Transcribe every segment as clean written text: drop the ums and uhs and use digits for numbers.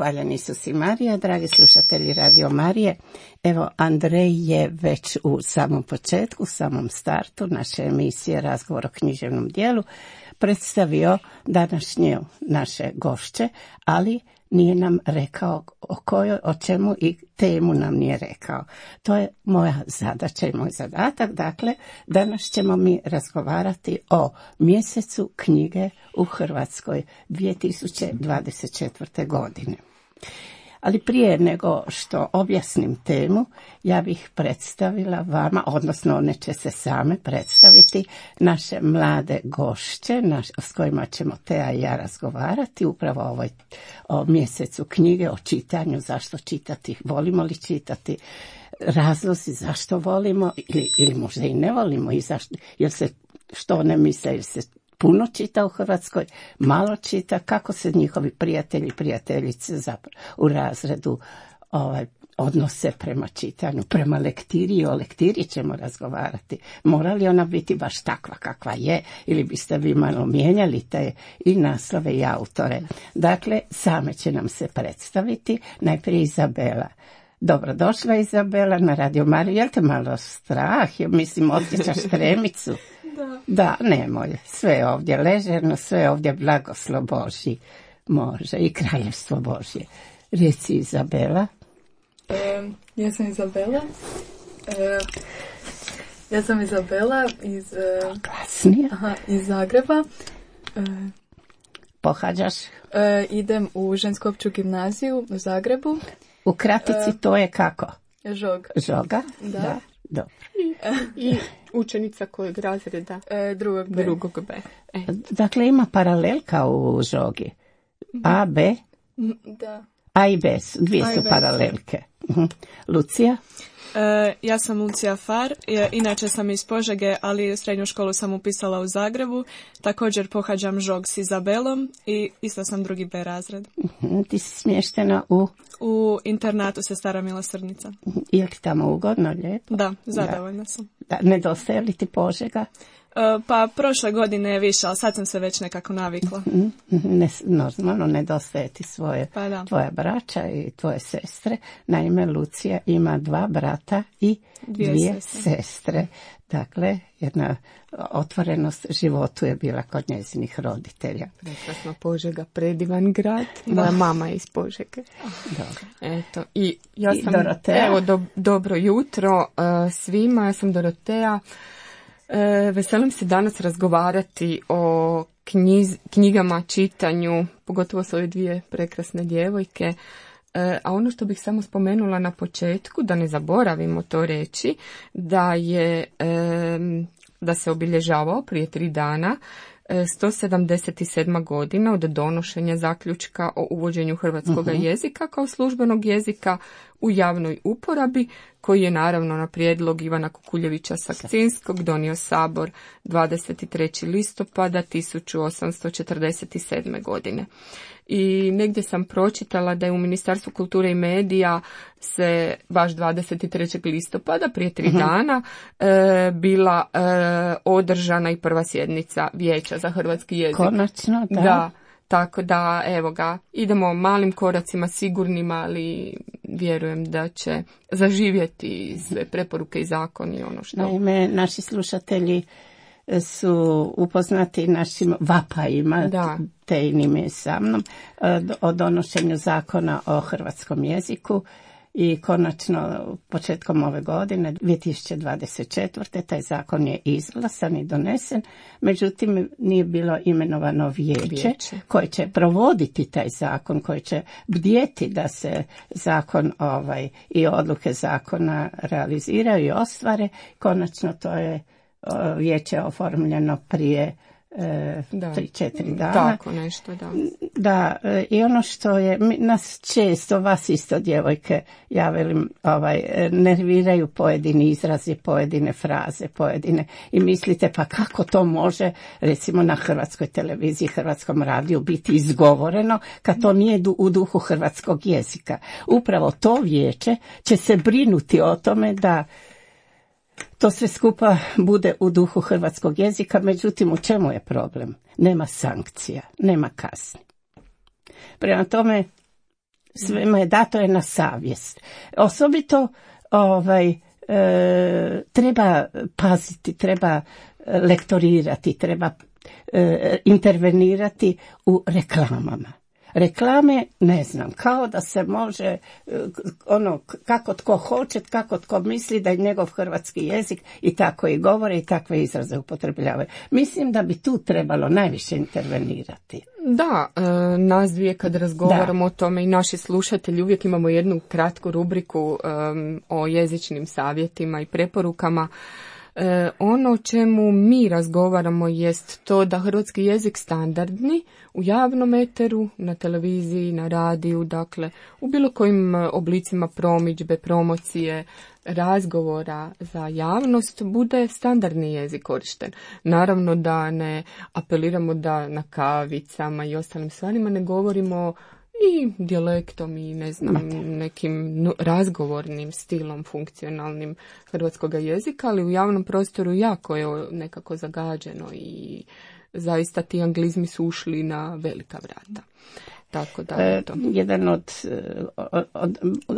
Hvaljen Isus i Marija, dragi slušatelji Radio Marije. Evo, Andrej je već u samom početku, u samom startu naše emisije Razgovor o književnom dijelu predstavio današnje naše gošće, ali nije nam rekao o čemu i temu nam nije rekao. To je moja zadaća i moj zadatak. Dakle, danas ćemo mi razgovarati o mjesecu knjige u Hrvatskoj 2024. godine. Ali prije nego što objasnim temu, ja bih predstavila vama, odnosno one će se same predstaviti, naše mlade gošće s kojima ćemo Teja i ja razgovarati upravo o mjesecu knjige, o čitanju, zašto čitati, volimo li čitati, razlozi zašto volimo ili možda i ne volimo i zašto, jer se što ne misle, jer se puno čita u Hrvatskoj, malo čita, kako se njihovi prijatelji i prijateljice u razredu odnose prema čitanju, prema lektiri, i o lektiri ćemo razgovarati. Mora li ona biti baš takva kakva je, ili biste vi malo mijenjali te i naslove i autore. Dakle, same će nam se predstaviti, najprije Izabela. Dobrodošla Izabela na Radio Mariju. Jel te malo strah? Mislim, osjećaš tremicu? Da, nemoj. Sve je ovdje ležerno, sve je ovdje blagoslov Božji. Može i kraljevstvo Božje. Reci Izabela. Ja sam Izabela. Iz Zagreba. Pohađaš? Idem u žensku opću gimnaziju u Zagrebu. U kratici to je kako? Žoga. Da. Dobro. I učenica kojeg razreda? Drugog B. Dakle, ima paralelka u Žogi. A, B? Da. A i B, dvije su paralelke. Lucija? Ja sam Lucija Far, inače sam iz Požege, ali srednju školu sam upisala u Zagrebu. Također pohađam Žog s Izabelom i isto sam drugi B razred. Ti si smještena u internatu Sestara milosrdnica. Je li tamo ugodno, lijepo? Da, zadovoljna sam. Da, nedostaje li ti Požega? Pa prošle godine je više, ali sad sam se već nekako navikla. Normalno nedostaje ti tvoja braća i tvoje sestre. Naime, Lucija ima 2 brata i 2 sestre. Dakle, jedna otvorenost životu je bila kod njezinih roditelja. Prekrasno, Požega, predivan grad. Moja mama je iz Požege. Dobro. Eto, i ja sam, Doroteja. Evo, dobro jutro svima, ja sam Doroteja. Veselim se danas razgovarati o knjigama, čitanju, pogotovo s ove 2 prekrasne djevojke. A ono što bih samo spomenula na početku, da ne zaboravimo to reći, da se obilježavao prije 3 dana 177. godina od donošenja zaključka o uvođenju hrvatskog jezika kao službenog jezika u javnoj uporabi, koji je naravno na prijedlog Ivana Kukuljevića Sakcinskog donio Sabor 23. listopada 1847. godine. I negdje sam pročitala da je u Ministarstvu kulture i medija se baš 23. listopada prije 3 dana bila održana i prva sjednica Vijeća za hrvatski jezik. Konačno, da. Da, tako da, evo ga, idemo malim koracima sigurnima, ali vjerujem da će zaživjeti sve preporuke i zakoni, ono što... Naime, naši slušatelji su upoznati našim vapajima, Tejinim je sa mnom, o donošenju zakona o hrvatskom jeziku i konačno početkom ove godine, 2024. taj zakon je izglasan i donesen, međutim nije bilo imenovano vijeće koje će provoditi taj zakon, koje će bdjeti da se zakon i odluke zakona realiziraju i ostvare. Konačno to je vijeće oformljeno prije 3-4 dana. Tako nešto, da. Da, i ono što je, nas često, vas isto djevojke, ja velim, nerviraju pojedini izrazi, pojedine fraze, i mislite pa kako to može, recimo na hrvatskoj televiziji, hrvatskom radiju biti izgovoreno kad to nije u duhu hrvatskog jezika. Upravo to vijeće će se brinuti o tome da to sve skupa bude u duhu hrvatskog jezika, međutim u čemu je problem? Nema sankcija, nema kazni. Prema tome, Svema je dato je na savjest. Osobito treba paziti, treba lektorirati, treba intervenirati u reklamama. Reklame, ne znam, kao da se može, kako tko hoće, kako tko misli da je njegov hrvatski jezik i tako i govore i takve izraze upotrebljavaju. Mislim da bi tu trebalo najviše intervenirati. Da, nas dvije kad razgovaramo o tome i naši slušatelji uvijek imamo jednu kratku rubriku o jezičnim savjetima i preporukama. Ono o čemu mi razgovaramo jest to da hrvatski jezik standardni u javnom eteru, na televiziji, na radiju, dakle u bilo kojim oblicima promidžbe, promocije, razgovora za javnost bude standardni jezik korišten. Naravno da ne apeliramo da na kavicama i ostalim stvarima ne govorimo i dijalektom i ne znam nekim razgovornim stilom funkcionalnim hrvatskog jezika, ali u javnom prostoru jako je nekako zagađeno i zaista ti anglizmi su ušli na velika vrata. Tako da to. Jedan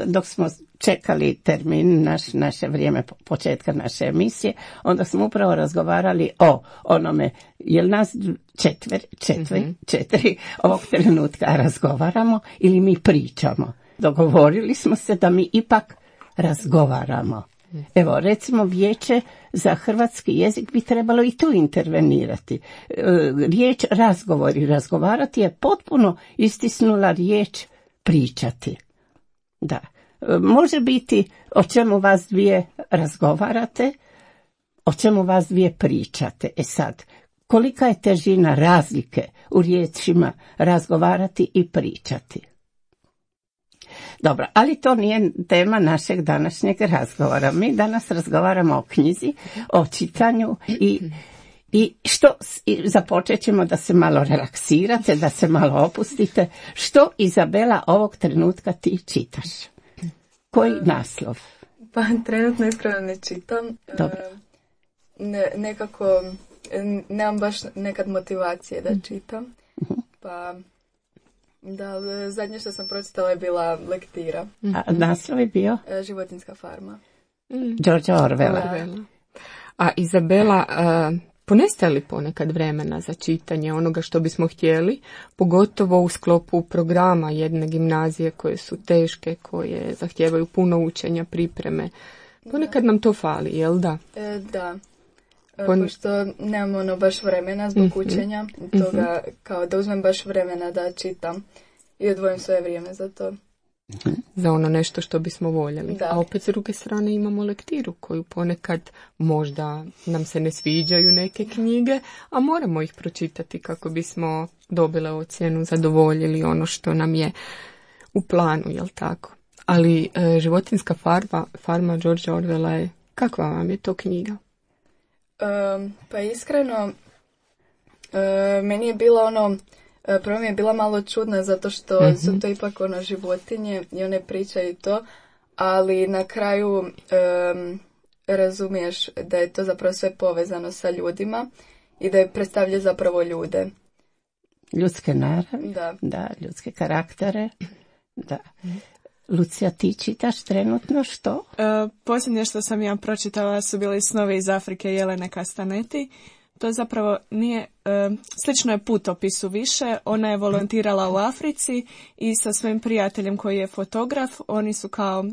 dok smo čekali termin, naše vrijeme početka naše emisije, onda smo upravo razgovarali o onome, jel nas četiri ovog trenutka razgovaramo ili mi pričamo. Dogovorili smo se da mi ipak razgovaramo. Evo, recimo, Vijeće za hrvatski jezik bi trebalo i tu intervenirati. Riječ razgovori, razgovarati je potpuno istisnula riječ pričati. Da. Može biti o čemu vas dvije razgovarate, o čemu vas dvije pričate. Sad, kolika je težina razlike u riječima razgovarati i pričati? Dobro, ali to nije tema našeg današnjeg razgovora. Mi danas razgovaramo o knjizi, o čitanju i započet ćemo da se malo relaksirate, da se malo opustite. Što, Izabela, ovog trenutka ti čitaš? Koji naslov? Pa trenutno iskreno ne čitam. Dobro. Nekako nemam baš nekad motivacije da čitam. Pa da, zadnje što sam pročitala je bila lektira. A naslov je bio? Životinjska farma. Georgea Orwella. A Izabela, ponestaje li ponekad vremena za čitanje onoga što bismo htjeli, pogotovo u sklopu programa jedne gimnazije koje su teške, koje zahtijevaju puno učenja, pripreme? Ponekad nam to fali, jel da? Da. Pošto nemam baš vremena zbog učenja, toga kao da uzmem baš vremena da čitam i odvojim svoje vrijeme za to. Za ono nešto što bismo voljeli. Da. A opet s druge strane imamo lektiru koju ponekad možda nam se ne sviđaju neke knjige, a moramo ih pročitati kako bismo dobile ocjenu, zadovoljili ono što nam je u planu, jel tako? Ali Životinjska farma Georgea Orwella je, kakva vam je to knjiga? Pa iskreno, meni je bila prvo mi je bila malo čudna zato što su to ipak životinje i one pričaju to, ali na kraju razumiješ da je to zapravo sve povezano sa ljudima i da je predstavlja zapravo ljude. Ljudske naravi, da, ljudske karaktere, da. Lucija, ti čitaš trenutno što? Posljednje što sam ja pročitala su bili Snovi iz Afrike Jelene Castaneti. To zapravo nije, slično je putopisu više. Ona je volontirala u Africi i sa svojim prijateljem koji je fotograf, oni su kao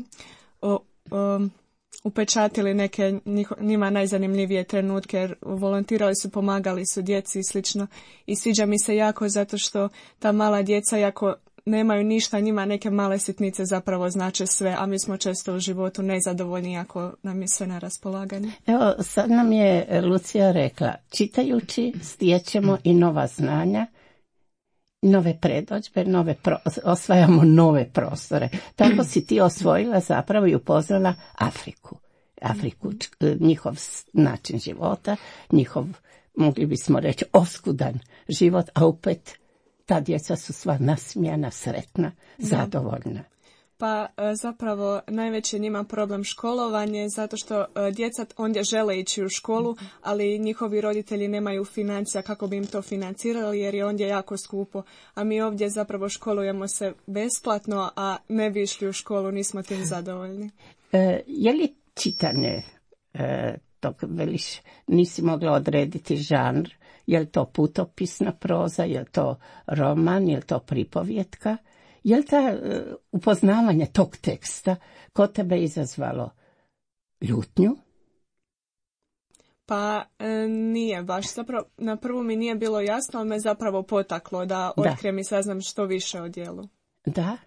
upečatili neke njima najzanimljivije trenutke, jer volontirali su, pomagali su djeci i slično. I sviđa mi se jako zato što ta mala djeca jako nemaju ništa, njima neke male sitnice zapravo znače sve, a mi smo često u životu nezadovoljni ako nam je sve na raspolaganju. Evo, sad nam je Lucija rekla, čitajući stječemo i nova znanja, nove predodžbe, osvajamo nove prostore. Tako si ti osvojila zapravo i upoznala Afriku, njihov način života, njihov, mogli bismo reći, oskudan život, a opet ta djeca su sva nasmijana, sretna, zadovoljna. Pa zapravo najveći njima problem školovanje, zato što djeca ondje žele ići u školu, ali njihovi roditelji nemaju financija kako bi im to financirali, jer je ondje jako skupo. A mi ovdje zapravo školujemo se besplatno, a ne bi išli u školu, nismo tim zadovoljni. Je li čitanje, dok veliš, nisi mogla odrediti žanr, je li to putopisna proza, je li to roman, je li to pripovjetka? Je li ta upoznavanje tog teksta kod tebe izazvalo ljutnju? Pa nije baš. Zapravo, na prvu mi nije bilo jasno, ali me zapravo potaklo da otkrijem i saznam što više o djelu. Da.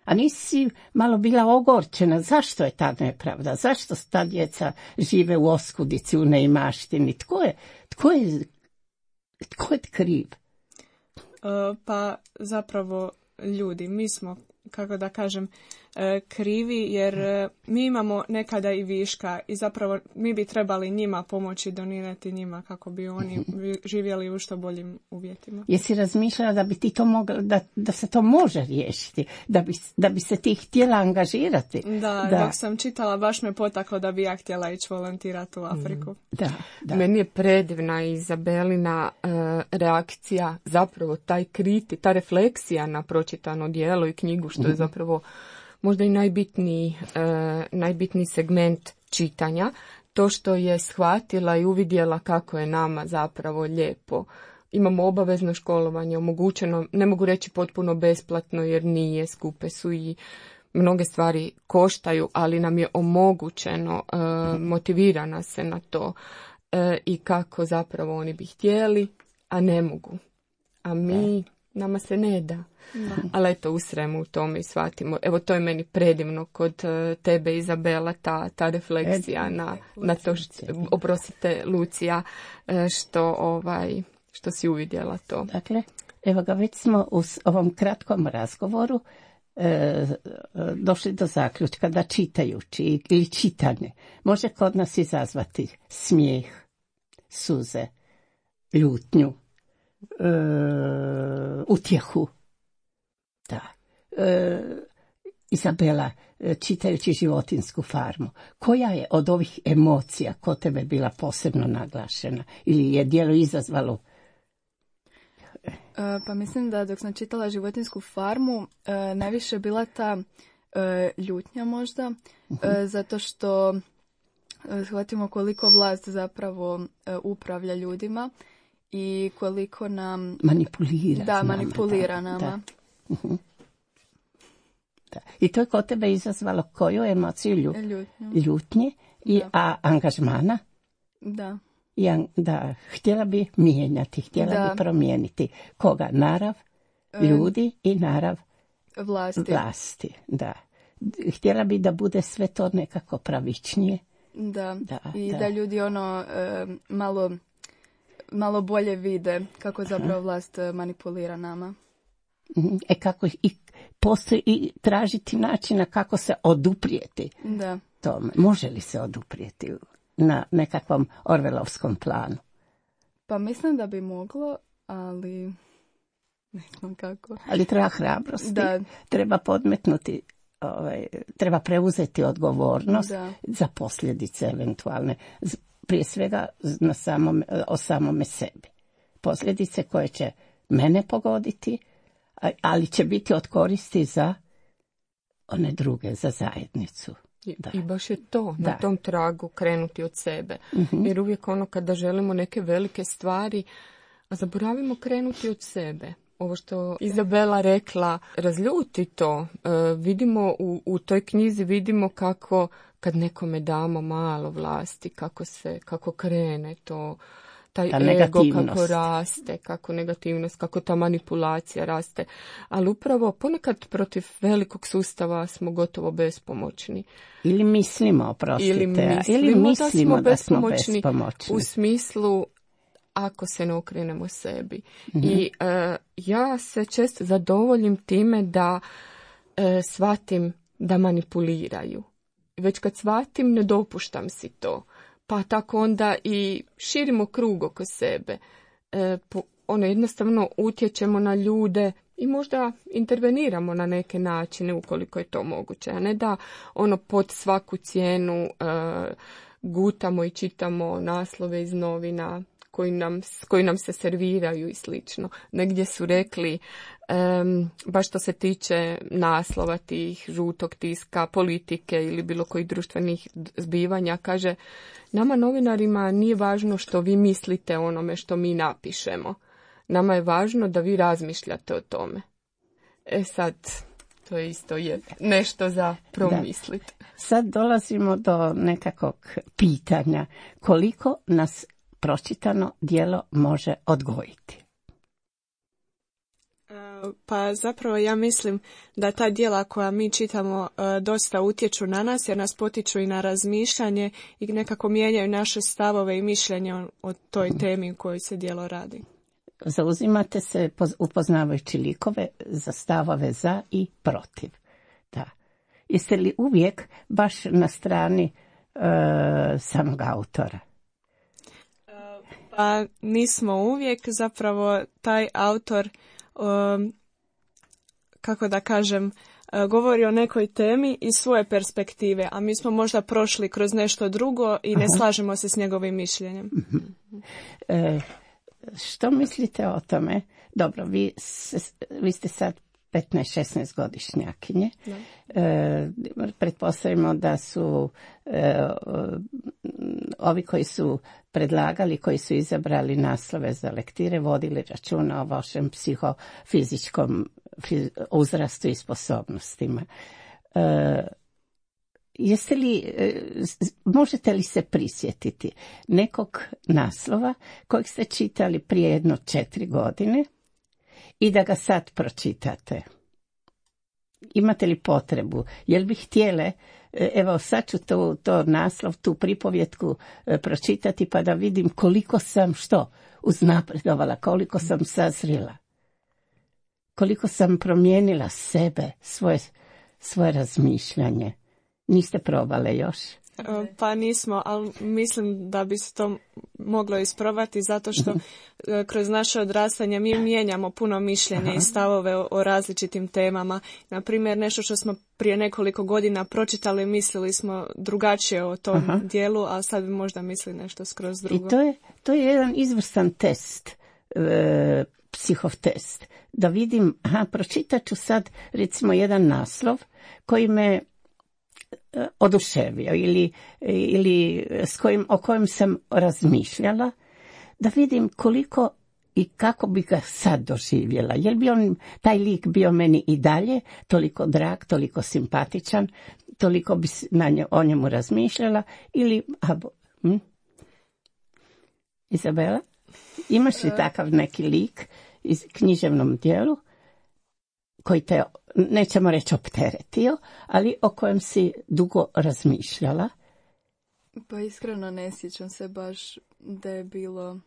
A nisi malo bila ogorčena? Zašto je ta nepravda? Zašto ta djeca žive u oskudici, u neimaštini? Tko je kriv? Pa zapravo ljudi. Mi smo, kako da kažem, krivi, jer mi imamo nekada i viška i zapravo mi bi trebali njima pomoći, donirati njima kako bi oni živjeli u što boljim uvjetima. Jesi razmišljala da bi ti to mogla, da se to može riješiti, da bi se ti htjela angažirati? Da, dok sam čitala baš me potaklo da bi ja htjela ići volontirati u Afriku. Da. Meni je predivna Izabelina reakcija, zapravo ta refleksija na pročitano djelo i knjigu, što je zapravo možda i najbitniji segment čitanja, to što je shvatila i uvidjela kako je nama zapravo lijepo. Imamo obavezno školovanje, omogućeno, ne mogu reći potpuno besplatno jer nije, skupe su i mnoge stvari koštaju, ali nam je omogućeno, motivirana se na to i kako zapravo oni bi htjeli, a ne mogu. A nama se ne da. Ali eto, usremo u tome i shvatimo. Evo, to je meni predivno kod tebe, Izabela, ta refleksija na to, oprostite, Lucija, što si uvidjela to. Dakle, evo ga, već smo u ovom kratkom razgovoru došli do zaključka da čitajući ili čitanje može kod nas izazvati smijeh, suze, ljutnju, utjehu. Da. Izabela, čitajući Životinjsku farmu, koja je od ovih emocija kod tebe bila posebno naglašena ili je djelo izazvalo? Pa mislim da dok sam čitala Životinjsku farmu, najviše bila ta ljutnja možda, zato što shvatimo koliko vlast zapravo upravlja ljudima i koliko nam manipulira nama. Da. Da. I to je kod tebe izazvalo koju emociju? Ljutnje a angažmana? Da. Da, htjela bi mijenjati, bi promijeniti. Koga? Narav ljudi i narav vlasti. Da. Htjela bi da bude sve to nekako pravičnije. Da ljudi malo bolje vide kako zapravo vlast manipulira nama. Kako i postoji i tražiti načina kako se oduprijeti tome. Može li se oduprijeti na nekakvom orvelovskom planu? Pa mislim da bi moglo, ali ne znam kako. Ali treba hrabrosti, treba podmetnuti, treba preuzeti odgovornost za posljedice eventualne. Prije svega o samome sebi. Posljedice koje će mene pogoditi, ali će biti od koristi za one druge, za zajednicu. I baš je to, na tom tragu krenuti od sebe. Jer uvijek kada želimo neke velike stvari, a zaboravimo krenuti od sebe. Ovo što Izabela rekla, razljuti to. Vidimo u toj knjizi, vidimo kako kad nekome damo malo vlasti, kako krene to, taj ego kako raste, kako negativnost, kako ta manipulacija raste. Ali upravo ponekad protiv velikog sustava smo gotovo bespomoćni. Ili mislimo da smo bespomoćni. U smislu ako se ne okrenemo sebi. I ja se često zadovoljim time da shvatim da manipuliraju. Već kad shvatim, ne dopuštam si to. Pa tako onda i širimo krug oko sebe. Jednostavno utječemo na ljude i možda interveniramo na neke načine ukoliko je to moguće, a ne da pod svaku cijenu gutamo i čitamo naslove iz novina koji nam se serviraju i slično. Negdje su rekli, baš što se tiče naslova tih žutog tiska, politike ili bilo kojih društvenih zbivanja, kaže, nama novinarima nije važno što vi mislite o onome što mi napišemo. Nama je važno da vi razmišljate o tome. Sad, to je isto nešto za promisliti. Sad dolazimo do nekakvog pitanja koliko nas pročitano djelo može odgojiti. Pa zapravo ja mislim da ta djela koja mi čitamo dosta utječu na nas jer nas potiču i na razmišljanje i nekako mijenjaju naše stavove i mišljenje o toj temi u kojoj se djelo radi. Zauzimate se upoznavajući likove za stavove za i protiv. Da. Jeste li uvijek baš na strani samog autora? Pa nismo uvijek, zapravo taj autor, kako da kažem, govori o nekoj temi iz svoje perspektive, a mi smo možda prošli kroz nešto drugo i ne slažemo se s njegovim mišljenjem. Što mislite o tome? Dobro, vi ste sad 15-16 godišnjakinje. Pretpostavimo da su ovi koji su predlagali, koji su izabrali naslove za lektire, vodili računa o vašem psihofizičkom uzrastu i sposobnostima. Možete li se prisjetiti nekog naslova kojeg ste čitali prije 4 godine i da ga sad pročitate? Imate li potrebu? Jel bi htjele, evo sad ću to naslov, tu pripovjetku pročitati pa da vidim koliko sam uznapredovala, koliko sam sazrila, koliko sam promijenila sebe, svoje razmišljanje. Niste probale još? Pa nismo, ali mislim da bi se to moglo isprobati zato što kroz naše odrastanje mi mijenjamo puno mišljenja i stavove o različitim temama. Naprimjer, nešto što smo prije nekoliko godina pročitali, mislili smo drugačije o tom dijelu, a sad bi možda mislili nešto skroz drugo. I to je jedan izvrstan test, psihov test. Da vidim, pročitat ću sad recimo jedan naslov koji me oduševio ili o kojem sam razmišljala, da vidim koliko i kako bi ga sad doživjela. Jel bi taj lik bio meni i dalje toliko drag, toliko simpatičan, toliko bi o njemu razmišljala ili... Izabela, imaš li takav neki lik iz književnom dijelu koji te, nećemo reći opteretio, ali o kojem si dugo razmišljala? Pa iskreno ne sjećam se baš da je bilo...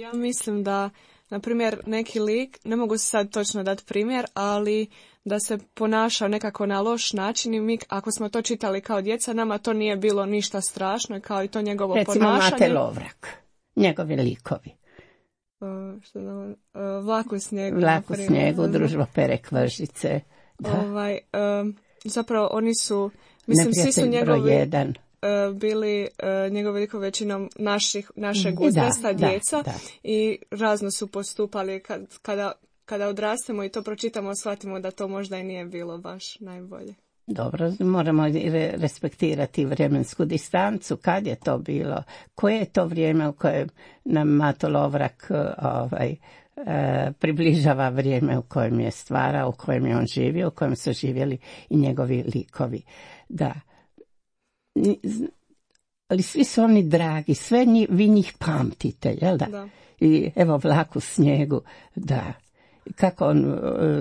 Ja mislim da, na primjer, neki lik, ne mogu se sad točno dati primjer, ali da se ponašao nekako na loš način i mi, ako smo to čitali kao djeca, nama to nije bilo ništa strašno, kao i to njegovo ponašanje. Recimo Mate Lovrak, njegovi likovi. Vlak u snijegu. Vlak u snijegu, Družba pere kvržice. Zapravo oni su, mislim, svi su njegovi bili njegovi likovi većinom našeg uzrasta djeca i razno su postupali. Kada odrastemo i to pročitamo, shvatimo da to možda i nije bilo baš najbolje. Dobro, moramo respektirati vremensku distancu. Kad je to bilo? Koje je to vrijeme u kojem nam Mato Lovrak približava vrijeme u kojem je stvarao, u kojem je on živio, u kojem su živjeli i njegovi likovi. Da. Ali svi su oni dragi, sve vi njih pamtite, jel da? Da. I evo Vlak u snijegu, da. Kako on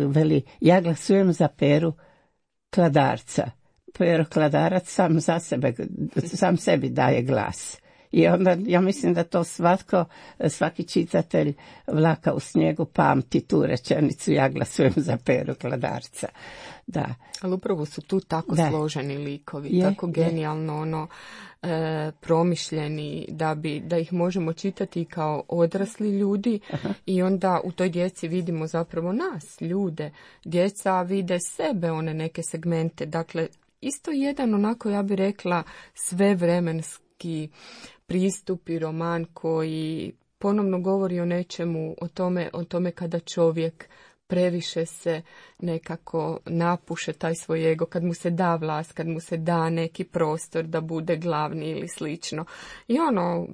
veli, ja glasujem za Peru Kladarca. Pero Kladarac sam sebi daje glas. I onda ja mislim da to svaki čitatelj Vlaka u snijegu pamti tu rečenicu, ja glasujem za Peru Kladarca. Da. Ali upravo su tu tako složeni likovi, tako genijalno promišljeni da ih možemo čitati kao odrasli ljudi. I onda u toj djeci vidimo zapravo nas, ljude. Djeca vide sebe, one neke segmente. Dakle, isto jedan onako, ja bih rekla, svevremenski pristup i roman koji ponovno govori o nečemu, o tome kada čovjek previše se nekako napuše taj svoj ego, kad mu se da vlast, kad mu se da neki prostor da bude glavni ili slično. I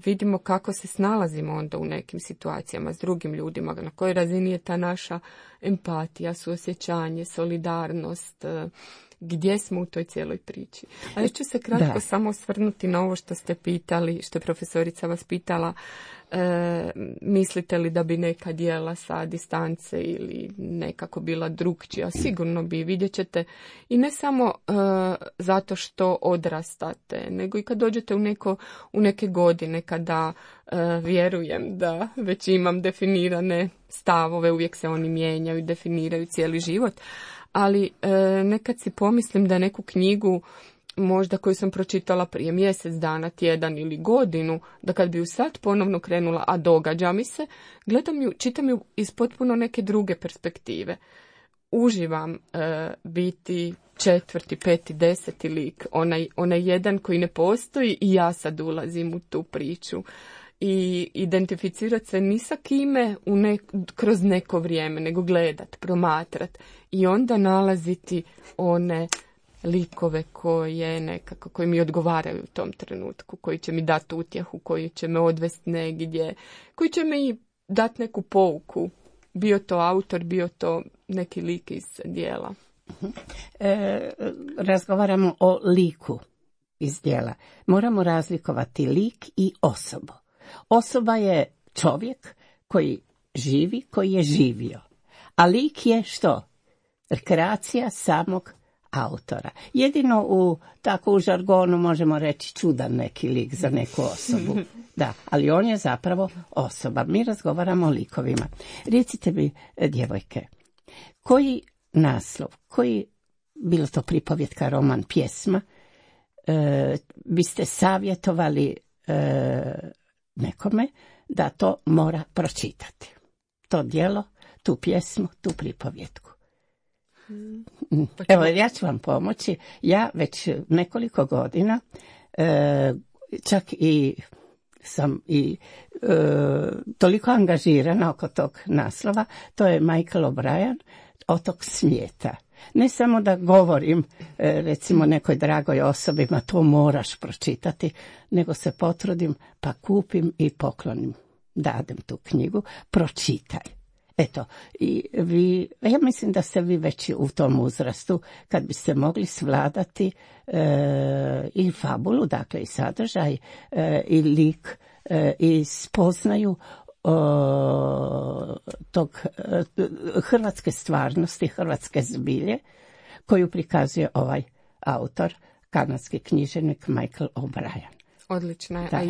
vidimo kako se snalazimo onda u nekim situacijama s drugim ljudima, na kojoj razini je ta naša empatija, suosjećanje, solidarnost, gdje smo u toj cijeloj priči. A još ću se kratko samo osvrnuti na ovo što ste pitali, što je profesorica vas pitala, mislite li da bi neka djela sa distance ili nekako bila drukčija? Sigurno bi, vidjet ćete. I ne samo zato što odrastate, nego i kad dođete u neke godine, kada vjerujem da već imam definirane stavove, uvijek se oni mijenjaju i definiraju cijeli život. Ali nekad si pomislim da neku knjigu, možda koju sam pročitala prije mjesec dana, tjedan ili godinu, da kad bi ju sad ponovno krenula, a događa mi se, gledam ju, čitam ju iz potpuno neke druge perspektive. Uživam biti 4., 5., 10. lik, onaj jedan koji ne postoji i ja sad ulazim u tu priču. I identificirati se ni sa kime kroz neko vrijeme, nego gledat, promatrat i onda nalaziti one likove koji mi odgovaraju u tom trenutku, koji će mi dati utjehu, koji će me odvesti negdje, koji će mi dati neku pouku, bio to autor, bio to neki lik iz djela. Razgovaramo o liku iz djela. Moramo razlikovati lik i osobu. Osoba je čovjek koji živi, koji je živio. A lik je što? Rekreacija samog autora. Jedino u žargonu možemo reći čudan neki lik za neku osobu. Da, ali on je zapravo osoba. Mi razgovaramo o likovima. Recite mi, djevojke, koji naslov, bilo to pripovjetka, roman, pjesma, biste savjetovali nekome da to mora pročitati? To djelo, tu pjesmu, tu pripovjetku. Evo, ja ću vam pomoći. Ja već nekoliko godina čak i sam toliko angažirana oko tog naslova. To je Michael O'Brien, Otok svijeta. Ne samo da govorim recimo nekoj dragoj osobi, ma to moraš pročitati, nego se potrudim pa kupim i poklonim, dadem tu knjigu, pročitaj. Eto, ja mislim da ste vi već u tom uzrastu kad biste mogli svladati i fabulu, dakle i sadržaj, i lik, i spoznaju tog hrvatske stvarnosti, hrvatske zbilje, koju prikazuje ovaj autor, kanadski književnik Michael O'Brien. Odlično je. A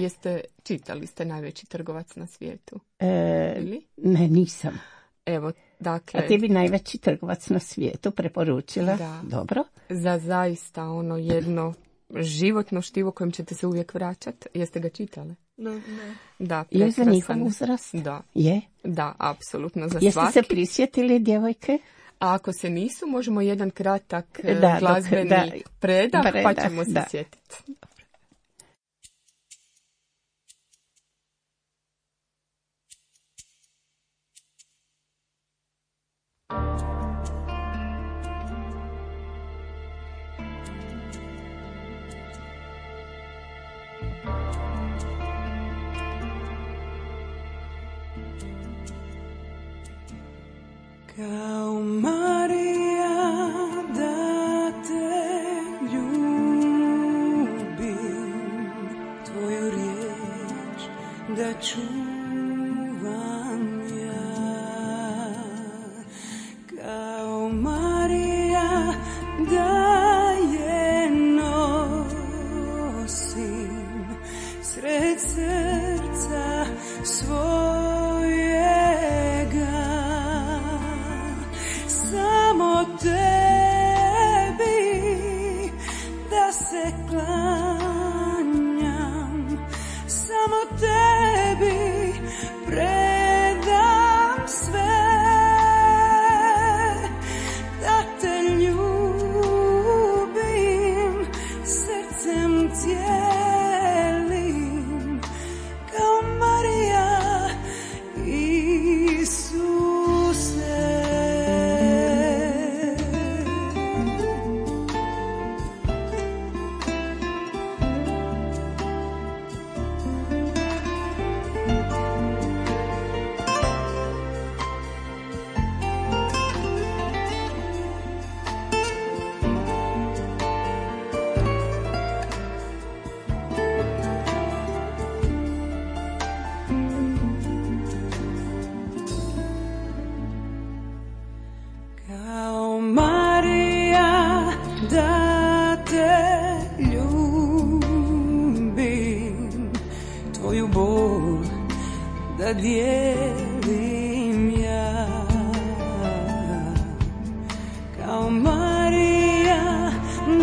čitali ste Najveći trgovac na svijetu? Ne, nisam. Evo, dakle... A ti bi Najveći trgovac na svijetu preporučila? Da. Dobro. Za zaista jedno životno štivo kojem ćete se uvijek vraćati. Jeste ga čitali? Ne. Da, je za njihov uzrast? Da. Je? Da, apsolutno za Jeste svaki. Se prisjetili, djevojke? A ako se nisu, možemo jedan kratak glazbeni predah, pa ćemo se sjetiti. Kao Marija da te ljubim, tvoju riječ da čuvam ja. Kao Marija da je nosim, sred srcem cijelim, kao Marija Isuse. Kao Marija da te ljubim, tvoju bol da dijelim ja. Kao Marija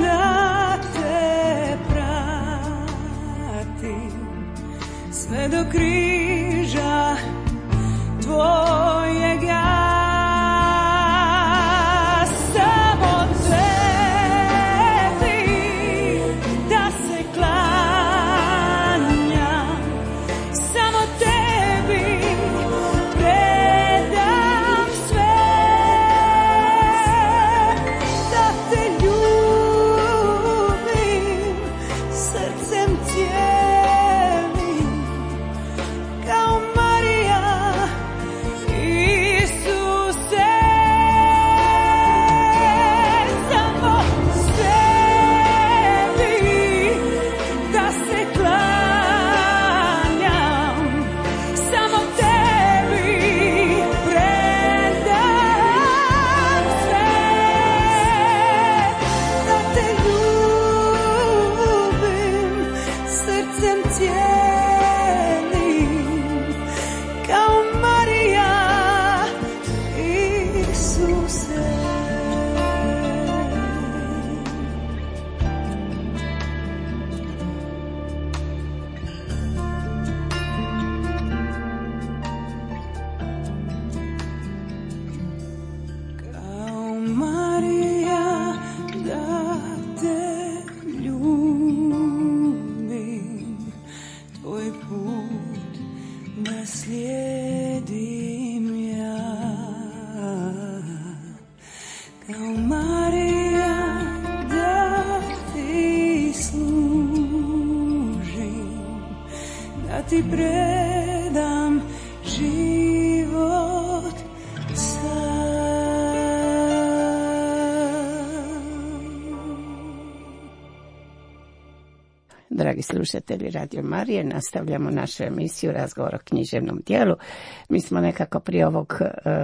da te pratim sve do križa tvojeg ja. Ti predam život Dragi slušatelji Radio Marije, nastavljamo našu emisiju Razgovor o književnom dijelu. Mi smo nekako prije ovog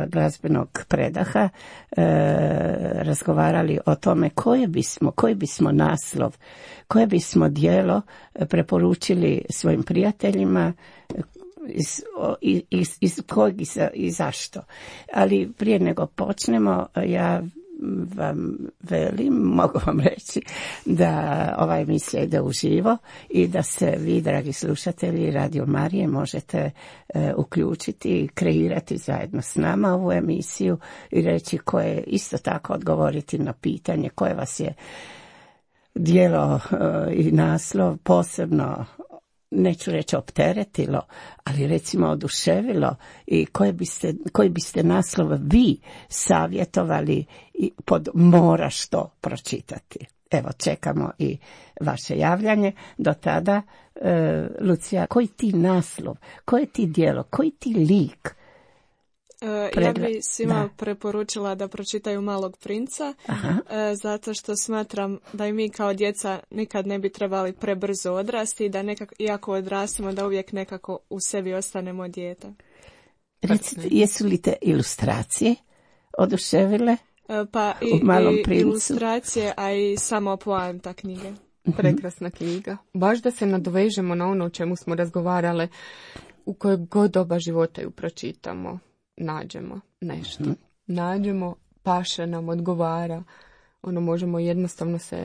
glazbenog predaha razgovarali o tome koji bismo naslov, koje bismo dijelo preporučili svojim prijateljima, iz kojeg i zašto. Ali prije nego počnemo, ja vam mogu vam reći da ova emisija ide uživo i da se vi, dragi slušatelji Radio Marije, možete uključiti i kreirati zajedno s nama ovu emisiju i reći koje isto tako odgovoriti na pitanje koje vas je djelo i naslov posebno, neću reći opteretilo, ali recimo oduševilo i koji biste naslov vi savjetovali i pod moraš to pročitati. Evo, čekamo i vaše javljanje. Do tada, Lucija, koji ti naslov, koje ti djelo, koji ti lik? Ja bi svima preporučila da pročitaju Malog princa, zato što smatram da i mi kao djeca nikad ne bi trebali prebrzo odrasti i da nekako, iako odrastemo, da uvijek nekako u sebi ostanemo dijete. Recite, jesu li te ilustracije oduševile pa u Malom princu? Ilustracije, a i samo poanta knjige. Prekrasna knjiga. Baš da se nadovežemo na ono o čemu smo razgovarale, u kojoj god doba života ju pročitamo. Nađemo nešto. Nađemo, paše nam, odgovara. Možemo jednostavno se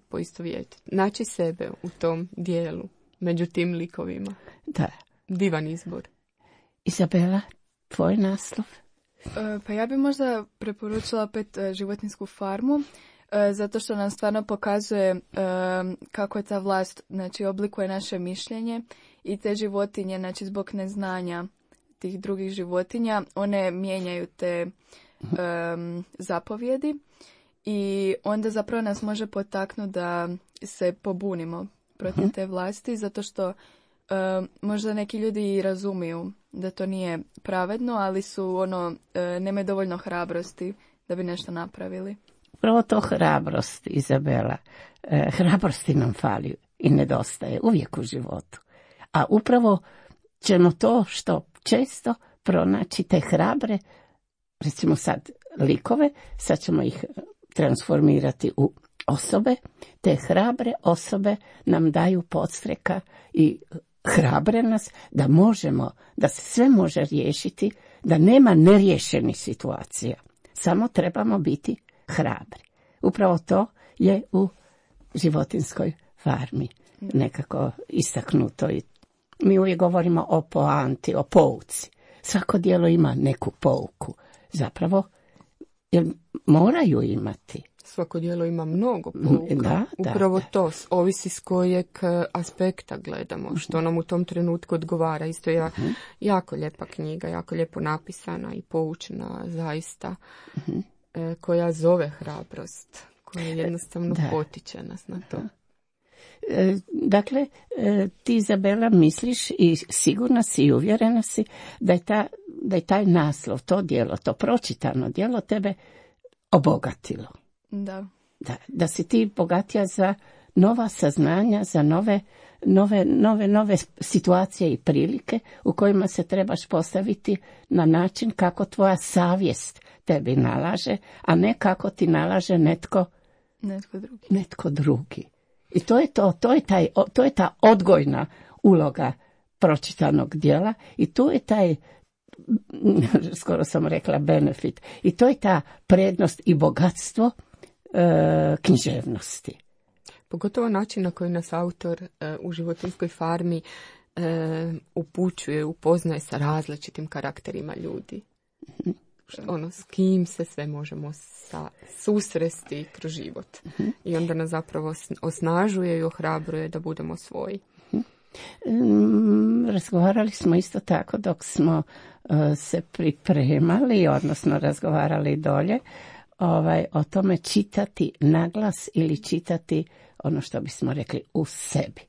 poistovjetiti. Naći sebe u tom dijelu, među tim likovima. Da. Divan izbor. Izabela, tvoj naslov? Pa ja bi možda preporučila opet Životinjsku farmu. zato što nam stvarno pokazuje kako je ta vlast, znači, oblikuje naše mišljenje i te životinje, znači, zbog neznanja tih drugih životinja, one mijenjaju te zapovjedi i onda zapravo nas može potaknuti da se pobunimo protiv te vlasti, zato što možda neki ljudi i razumiju da to nije pravedno, ali su nemaju dovoljno hrabrosti da bi nešto napravili. Upravo to hrabrost, Izabela. Hrabrosti nam fali i nedostaje uvijek u životu. A upravo ćemo to što često pronaći te hrabre, recimo sad likove, sad ćemo ih transformirati u osobe, te hrabre osobe nam daju podstreka i hrabre nas da možemo, da se sve može riješiti, da nema neriješenih situacija. Samo trebamo biti hrabri. Upravo to je u životinskoj farmi nekako istaknuto. I mi uvijek govorimo o poanti, o pouci. Svako djelo ima neku pouku. Zapravo, jer moraju imati. Svako djelo ima mnogo pouka. Upravo to, ovisi s kojeg aspekta gledamo, što nam u tom trenutku odgovara. Isto je jako lijepa knjiga, jako lijepo napisana i poučena zaista, koja zove hrabrost, koja jednostavno potiče nas na to. Dakle, ti, Izabela, misliš i sigurna si i uvjerena si da je taj naslov, to djelo, to pročitano djelo tebe obogatilo. Da si ti bogatija za nova saznanja, za nove situacije i prilike u kojima se trebaš postaviti na način kako tvoja savjest tebi nalaže, a ne kako ti nalaže netko drugi. I to je ta odgojna uloga pročitanog djela i tu je taj, skoro sam rekla, benefit. I to je ta prednost i bogatstvo književnosti. Pogotovo način na koji nas autor u životinjskoj farmi upućuje, upoznaje sa različitim karakterima ljudi. S kim se sve možemo susresti kroz život. I onda nas zapravo osnažuje i ohrabruje da budemo svoji. Razgovarali smo isto tako dok smo se pripremali, odnosno razgovarali dolje, o tome čitati naglas ili čitati ono što bismo rekli u sebi.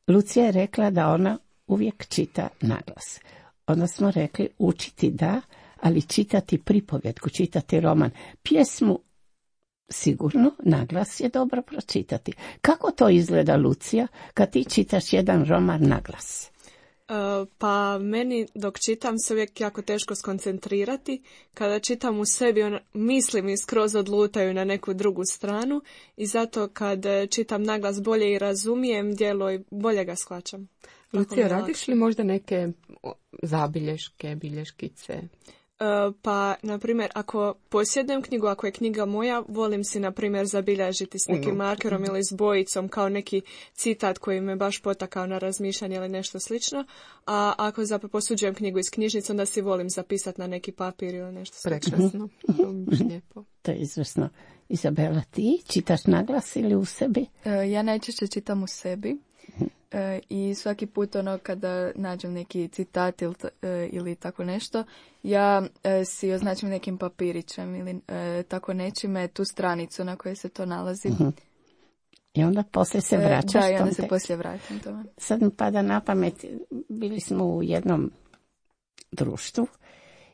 Lucija je rekla da ona uvijek čita naglas. Onda smo rekli učiti da, ali čitati pripovjetku, čitati roman. Pjesmu sigurno naglas je dobro pročitati. Kako to izgleda, Lucija, kad ti čitaš jedan roman naglas? Pa meni dok čitam se uvijek jako teško skoncentrirati. Kada čitam u sebi, misli mi skroz odlutaju na neku drugu stranu i zato kad čitam naglas bolje i razumijem djelo i bolje ga shvaćam. Lucija, radiš li možda neke zabilješke, bilješkice? Pa, na primjer, ako posjedujem knjigu, ako je knjiga moja, volim si, na primjer, zabilježiti s nekim markerom ili s bojicom kao neki citat koji me baš potakao na razmišljanje ili nešto slično. A ako posuđujem knjigu iz knjižnice, onda si volim zapisati na neki papir ili nešto slično. Prekrasno. Lijepo. To je izvrsno. Izabela, ti čitaš naglas ili u sebi? Ja najčešće čitam u sebi. I svaki put kada nađem neki citat ili tako nešto, ja si označim nekim papirićem ili tako nečime tu stranicu na kojoj se to nalazi. I onda poslije se vraćaš tom tekstu. Da, i onda se poslije vraćam tome. Sad mi pada na pamet, bili smo u jednom društvu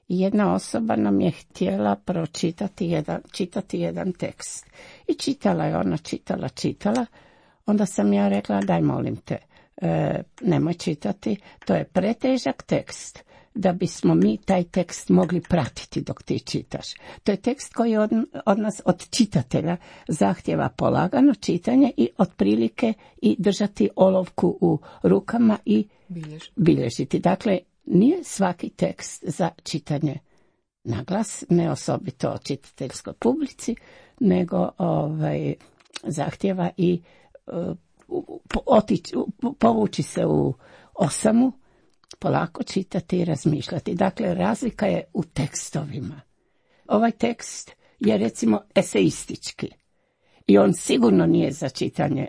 i jedna osoba nam je htjela čitati jedan tekst. I čitala je ona, čitala. Onda sam ja rekla, daj molim te, nemoj čitati, to je pretežak tekst da bismo mi taj tekst mogli pratiti dok ti čitaš. To je tekst koji od nas, od čitatelja, zahtjeva polagano čitanje i otprilike i držati olovku u rukama i bilježiti. Dakle, nije svaki tekst za čitanje naglas, ne osobito čitateljskoj publici, nego zahtjeva i povući se u osamu, polako čitati i razmišljati. Dakle, razlika je u tekstovima. Ovaj tekst je recimo eseistički. I on sigurno nije za čitanje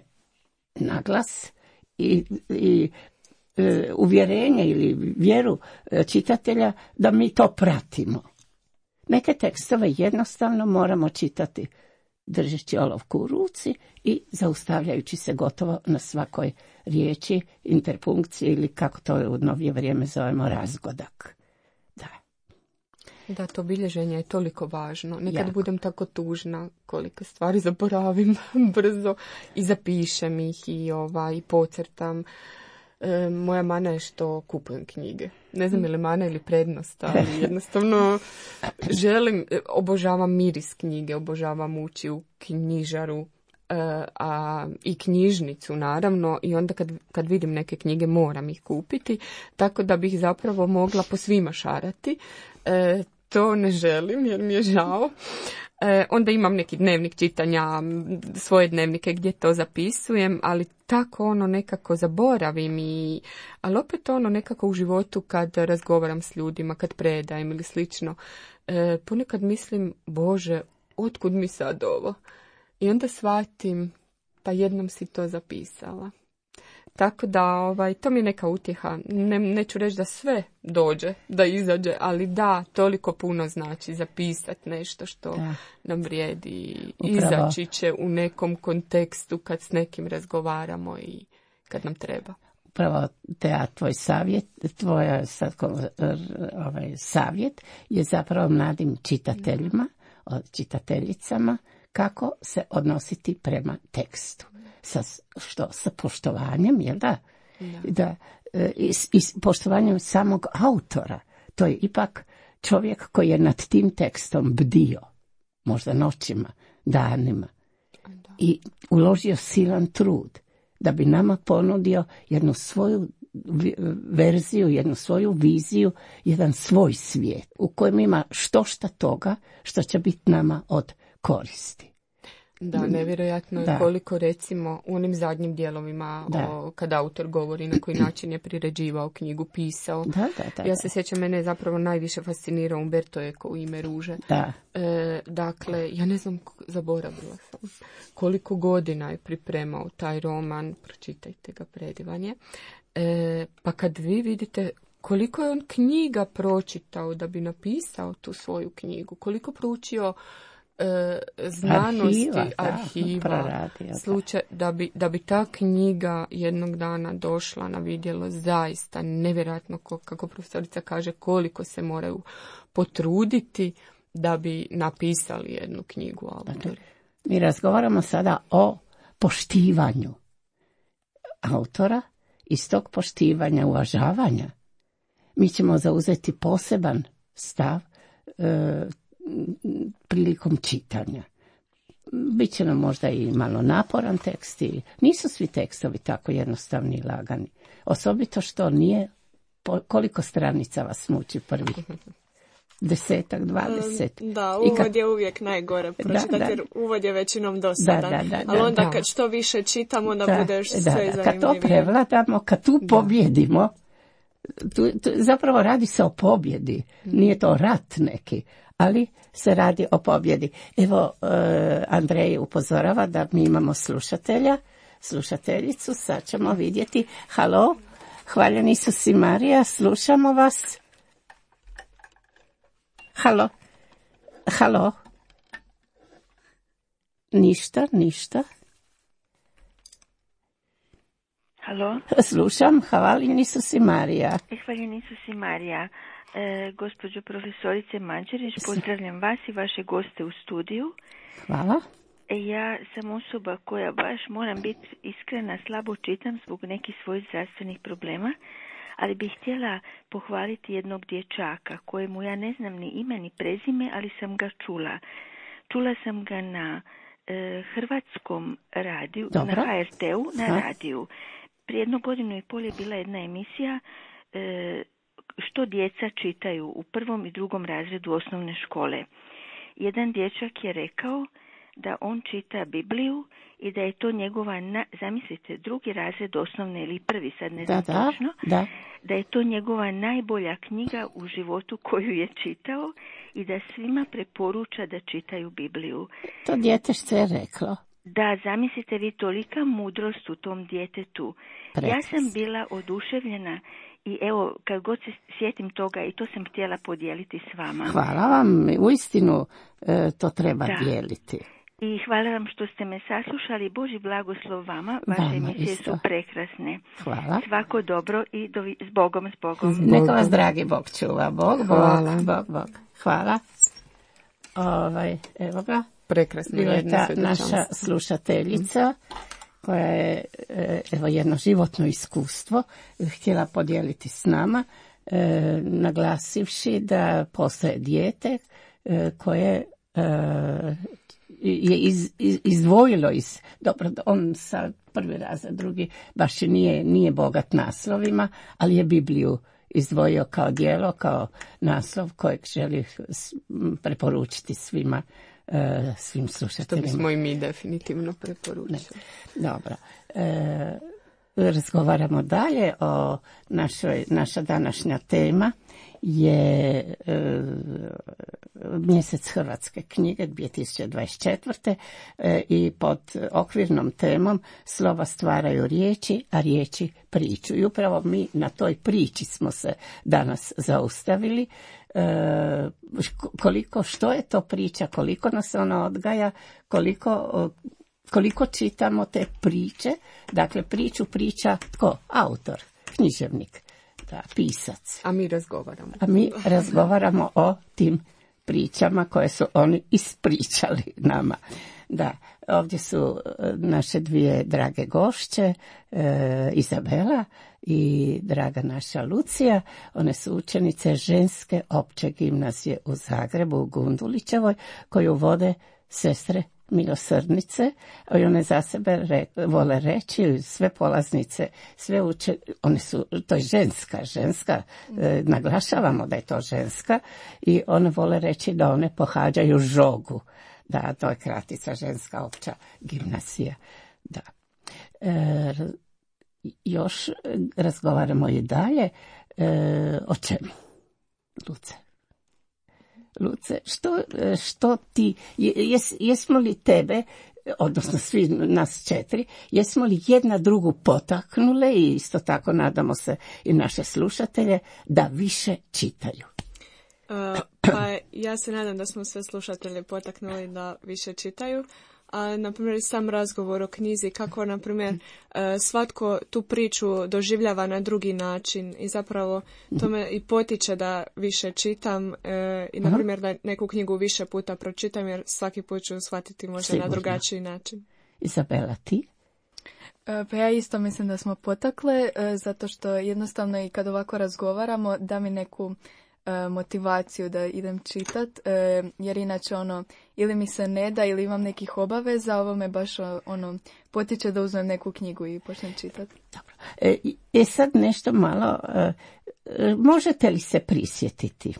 na glas i uvjerenje ili vjeru čitatelja da mi to pratimo. Neke tekstove jednostavno moramo čitati držeći olovku u ruci i zaustavljajući se gotovo na svakoj riječi, interpunkciji ili kako to u novije vrijeme zovemo razgodak. Da, to bilježenje je toliko važno. Nekad budem tako tužna koliko stvari zaboravim brzo i zapišem ih i pocrtam. Moja mana je što kupujem knjige. Ne znam je li mana ili prednost, ali jednostavno obožavam miris knjige, obožavam ući u knjižaru i knjižnicu naravno i onda kad vidim neke knjige moram ih kupiti, tako da bih zapravo mogla po svima šarati. To ne želim jer mi je žao. Onda imam neki dnevnik čitanja, svoje dnevnike gdje to zapisujem, ali tako nekako zaboravim ali opet nekako u životu kad razgovaram s ljudima, kad predajem ili slično, ponekad mislim, Bože, otkud mi sad ovo? I onda shvatim, pa jednom si to zapisala. Tako da to mi je neka utjeha. Neću reći da sve dođe, da izađe, ali da, toliko puno znači zapisati nešto što nam vrijedi. Upravo. Izaći će u nekom kontekstu kad s nekim razgovaramo i kad nam treba. Upravo tvoj savjet, savjet je zapravo mladim čitateljima, čitateljicama, kako se odnositi prema tekstu. Sa poštovanjem, jel da? I poštovanjem samog autora. To je ipak čovjek koji je nad tim tekstom bdio, možda noćima, danima, i uložio silan trud da bi nama ponudio jednu svoju verziju, jednu svoju viziju, jedan svoj svijet u kojem ima štošta toga što će biti nama od koristi. Da, nevjerojatno je koliko recimo u onim zadnjim dijelovima kad autor govori na koji način je priređivao knjigu, pisao. Ja se sjećam, mene je zapravo najviše fascinirao Umberto Eco u Ime ruže. Dakle, ja ne znam, zaboravila sam koliko godina je pripremao taj roman, pročitajte ga, predivan je. Pa kad vi vidite koliko je on knjiga pročitao da bi napisao tu svoju knjigu, koliko proučio znanosti, arhiva, slučaj da bi ta knjiga jednog dana došla na vidjelo, zaista nevjerojatno, kako profesorica kaže, koliko se moraju potruditi da bi napisali jednu knjigu autori. Mi razgovaramo sada o poštivanju autora. Iz tog poštivanja, uvažavanja, mi ćemo zauzeti poseban stav prilikom čitanja. Biće nam možda i malo naporan tekst. Nisu svi tekstovi tako jednostavni i lagani. Osobito što nije, koliko stranica vas muči prvi? 10, 20. Da, uvod je uvijek najgore pročitati, jer uvod je većinom dosadan. Ali onda kad što više čitamo, onda budeš sve zanimljivije. Kad to prevladamo, kad tu pobjedimo, zapravo radi se o pobjedi. Nije to rat neki, ali se radi o pobjedi. Evo, Andrej upozorava da mi imamo slušateljicu, sad ćemo vidjeti. Halo, hvaljen Isus i Marija, slušamo vas. Halo. Ništa. Halo. Slušam, hvaljen Isus i Marija. Hvaljen Isus i Marija. Gospođo profesorice Mađerić, pozdravljam vas i vaše goste u studiju. Hvala. Ja sam osoba koja baš, moram biti iskrena, slabo čitam zbog nekih svojih zdravstvenih problema, ali bih htjela pohvaliti jednog dječaka kojemu ja ne znam ni ime ni prezime, ali sam ga čula. Čula sam ga na hrvatskom radiju, na HRT-u, na radiju. Prije 1.5 godina je bila jedna emisija što djeca čitaju u 1. i 2. razredu osnovne škole. Jedan dječak je rekao da on čita Bibliju i da je to njegova, zamislite, 2. razred osnovne ili 1, sad ne znam točno, da je to njegova najbolja knjiga u životu koju je čitao i da svima preporuča da čitaju Bibliju. To djetešce je reklo. Da, zamislite vi, tolika mudrost u tom djetetu. Ja sam bila oduševljena i evo, kad god se sjetim toga, i to sam htjela podijeliti s vama. Hvala vam, uistinu to treba dijeliti. I hvala vam što ste me saslušali. Boži blagoslov vama. Vaše emisije su prekrasne. Hvala. Svako dobro i s Bogom, s Bogom. Neka vas dragi Bog čuva. Bog. Hvala. Evo ga. Prekrasno. Bila je ta naša slušateljica koja je jedno životno iskustvo htjela podijeliti s nama, naglasivši da postoje dijete koje je izdvojilo dobro, on sa prvi razred, drugi baš i nije bogat naslovima, ali je Bibliju izdvojio kao djelo, kao naslov kojeg želi preporučiti svim slušateljima. Što bismo i mi definitivno preporučili. Dobro. Razgovaramo dalje o naša današnja tema je mjesec hrvatske knjige 2024. I pod okvirnom temom slova stvaraju riječi, a riječi priču. I upravo mi na toj priči smo se danas zaustavili. Što je to priča, koliko nas ona odgaja, koliko čitamo te priče. Dakle, priču priča tko? Autor, književnik, pisac. A mi razgovaramo o tim pričama koje su oni ispričali nama. Da, ovdje su naše dvije drage gošće, Izabela i draga naša Lucija. One su učenice ženske opće gimnazije u Zagrebu, u Gundulićevoj, koju vode sestre milosrdnice, i one za sebe vole reći, sve polaznice, sve one su, to je ženska, naglašavamo da je to ženska, i one vole reći da one pohađaju žogu. Da, to je kratica, ženska opća gimnazija. Da. Još razgovaramo i dalje o čemu? Luce, što ti, jesmo li tebe, odnosno svi nas četiri, jesmo li jedna drugu potaknule i isto tako nadamo se i naše slušatelje da više čitaju? Pa ja se nadam da smo sve slušatelje potaknuli da više čitaju. A, na primjer, sam razgovor o knjizi, kako, na primjer, svatko tu priču doživljava na drugi način i zapravo to me i potiče da više čitam i, na primjer, da neku knjigu više puta pročitam, jer svaki put ću shvatiti možda na drugačiji način. Izabela, ti? Pa ja isto mislim da smo potakle, zato što jednostavno i kad ovako razgovaramo da mi neku motivaciju da idem čitat, jer inače ili mi se ne da ili imam nekih obaveza, ovo me baš potiče da uzmem neku knjigu i počnem čitati. Dobro. Sad nešto malo, možete li se prisjetiti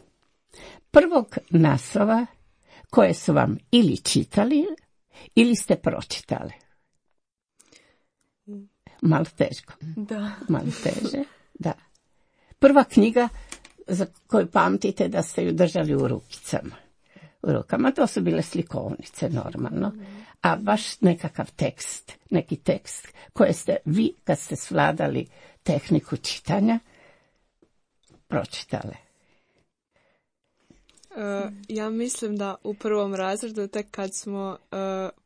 prvog naslova koje su vam ili čitali ili ste pročitali? Malo teško. Da. Malo teže, da. Prva knjiga za koju pamtite da ste ju držali u rukama, to su bile slikovnice normalno, a baš neki tekst koje ste vi, kad ste svladali tehniku čitanja, pročitali. Ja mislim da u prvom razredu, tek kad smo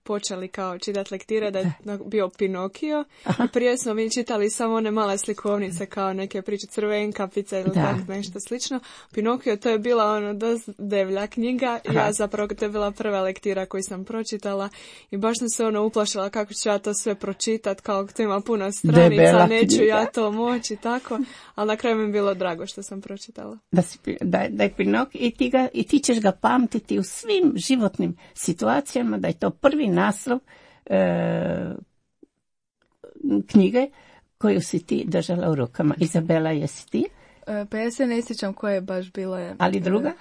počeli kao čitati lektire, da je bio Pinokio. I prije smo mi čitali samo one male slikovnice kao neke priče, Crvenkapica ili tako nešto slično. Pinokio, to je bila dosta devlja knjiga. Ja zapravo, to je bila prva lektira koju sam pročitala i baš sam se ono kako ću ja to sve pročitati, kao to ima puno stranica, debela neću knjiga. Ja to moći, tako. Ali na kraju mi je bilo drago što sam pročitala. Da je Pinokio i ti ćeš ga pamtiti u svim životnim situacijama, da je to prvi naslov knjige koju si ti držala u rukama. Izabela, jesi ti? Pa ja se ne sjećam koja je baš bila. Ali druga?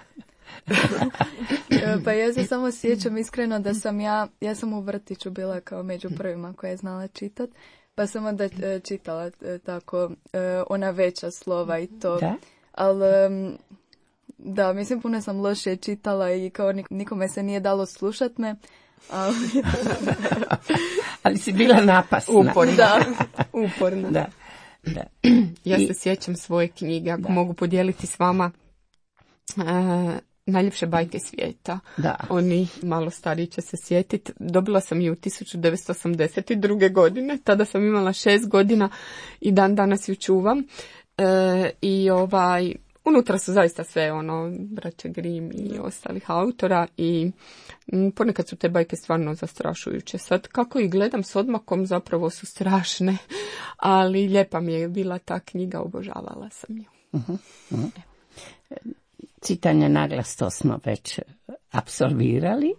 Pa ja se samo sjećam iskreno da sam ja sam u vrtiću bila kao među prvima koja je znala čitat, pa sam onda čitala tako ona veća slova i to. Da? Ali da, mislim puno sam loše čitala i kao nikome se nije dalo slušat me, Ali si bila napasna. Uporna. Da. Ja se sjećam svoje knjige, ako mogu podijeliti s vama. Najljepše bajke svijeta. Da. Oni malo stariji će se sjetiti. Dobila sam ju 1982. godine. Tada sam imala 6 godina i dan danas ju čuvam. I unutra su zaista sve braće Grimm i ostalih autora i ponekad su te bajke stvarno zastrašujuće. Sad kako ih gledam s odmakom zapravo su strašne, ali lijepa mi je bila ta knjiga, obožavala sam ju. Čitanje naglas, to smo već apsolvirali.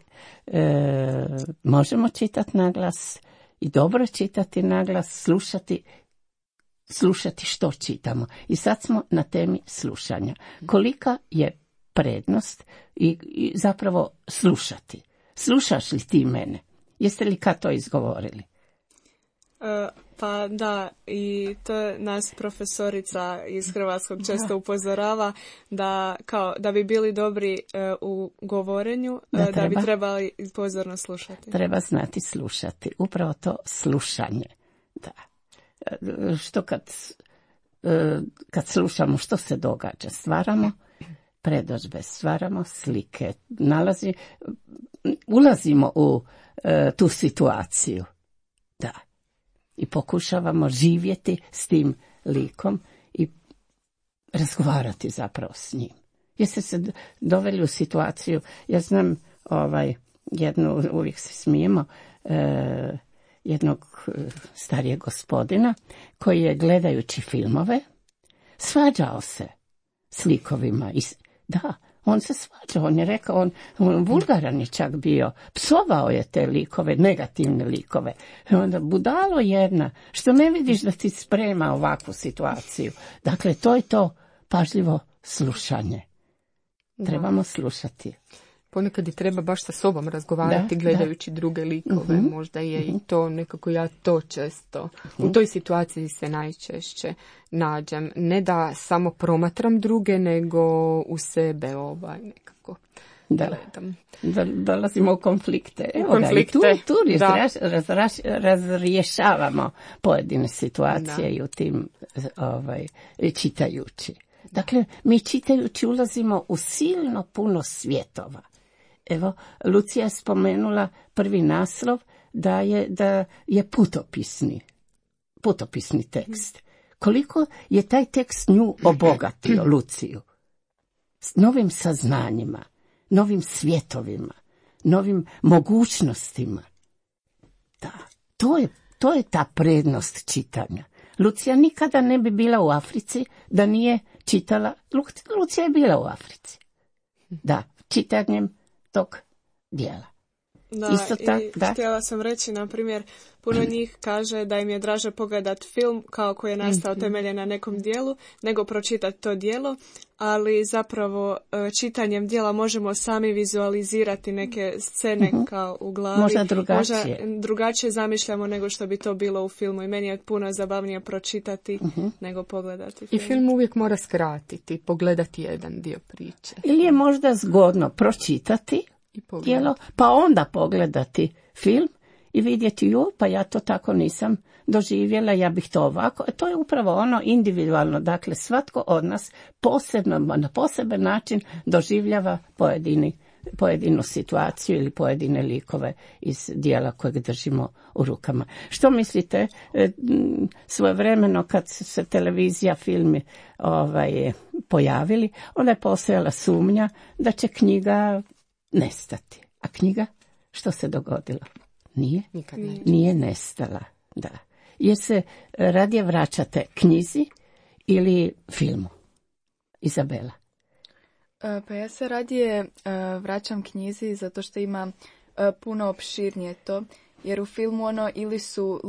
Možemo čitati naglas i dobro čitati naglas, slušati što čitamo. I sad smo na temi slušanja. Kolika je prednost i zapravo slušati? Slušaš li ti mene? Jeste li kad to izgovorili? Pa da, i to nas profesorica iz hrvatskog često upozorava da bi bili dobri u govorenju, da bi trebali pozorno slušati. Treba znati slušati. Upravo to slušanje. Da. Što kad slušamo što se događa, stvaramo predodžbe, stvaramo slike, ulazimo u tu situaciju. Da. I pokušavamo živjeti s tim likom i razgovarati zapravo s njim. Jeste se doveli u situaciju, ja znam uvijek se smijemo, jednog starijeg gospodina koji je gledajući filmove svađao se s likovima. Da, on se svađao, on je rekao, on vulgaran je čak bio, psovao je te likove, negativne likove. I onda budalo jedna, što ne vidiš da ti sprema ovakvu situaciju. Dakle, to je to pažljivo slušanje. Trebamo slušati. Ponekad i treba baš sa sobom razgovarati gledajući druge likove. Možda je i to nekako ja to često. U toj situaciji se najčešće nađem. Ne da samo promatram druge, nego u sebe nekako gledam. Dolazimo u konflikte. Tu razrješavamo pojedine situacije i u tim čitajući. Dakle, mi čitajući ulazimo u silno puno svjetova. Evo, Lucija je spomenula prvi naslov da je putopisni tekst. Koliko je taj tekst nju obogatio, Luciju? S novim saznanjima, novim svjetovima, novim mogućnostima. Da, to je ta prednost čitanja. Lucija nikada ne bi bila u Africi da nije čitala. Lucija je bila u Africi. Da, čitanjem tog dijela. Da, htjela sam reći, na primjer, puno njih kaže da im je draže pogledat film kao koji je nastao temeljen na nekom dijelu, nego pročitati to dijelo, ali zapravo čitanjem dijela možemo sami vizualizirati neke scene kao u glavi. Možda drugačije zamišljamo nego što bi to bilo u filmu i meni je puno zabavnije pročitati nego pogledati film. I film uvijek mora skratiti, pogledati jedan dio priče. Ili je možda zgodno pročitati dijelo, pa onda pogledati film i vidjeti, pa ja to tako nisam doživjela, ja bih to ovako. To je upravo ono individualno, dakle svatko od nas posebno, na poseban način doživljava pojedinu situaciju ili pojedine likove iz dijela kojeg držimo u rukama. Što mislite, svojevremeno kad se televizija, filmi pojavili, onda je postojala sumnja da će knjiga nestati. A knjiga, što se dogodilo? Nije nestala. Da. Jer se radije vraćate knjizi ili filmu? Izabela? Pa ja se radije vraćam knjizi zato što ima puno opširnije to. Jer u filmu ili su